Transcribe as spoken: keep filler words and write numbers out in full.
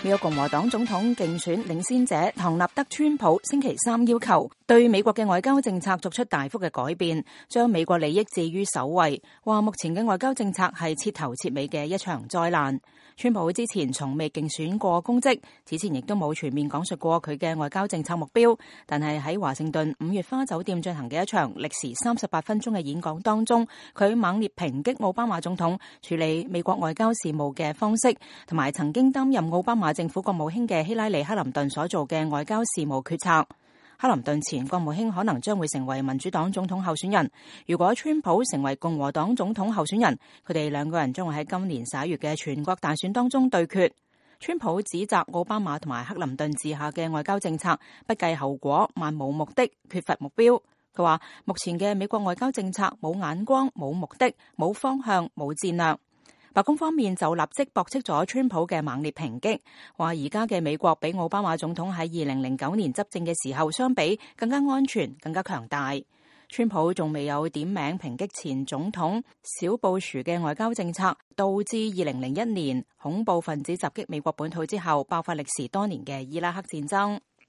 美國共和黨總統競選領先者唐納德·川普星期三要求對美國嘅外交政策作出大幅嘅改變，將美國利益置於首位，話目前嘅外交政策係徹頭徹尾嘅一場災難。川普之前從未競選過公職，此前亦都冇全面講述過佢嘅外交政策目標，但係喺華盛頓五月花酒店進行嘅一場歷時三十八分鐘嘅演講當中，佢猛烈抨擊奧巴馬總統處理美國外交事務嘅方式，同埋曾經擔任奧巴馬政府國務卿嘅希拉里·克林頓所做嘅外交事務決策。克林頓前國務卿可能將會成為民主黨總統候選人，如果川普成為共和黨總統候選人，佢哋兩個人將會喺今年十一月嘅全國大選當中對決。川普指責奧巴馬同埋克林頓治下嘅外交政策不計後果、漫無目的、缺乏目標。佢話目前嘅美國外交政策冇眼光、冇目的、冇方向、冇戰略。白宮方面就立即駁斥咗川普嘅猛烈抨擊，話而家嘅美國比奧巴馬總統喺二零零九年執政嘅時候相比更加安全、更加強大。川普仲未有點名抨擊前總統小布殊嘅外交政策，導致二零零一年恐怖分子襲擊美國本土之後爆發歷時多年嘅伊拉克戰爭。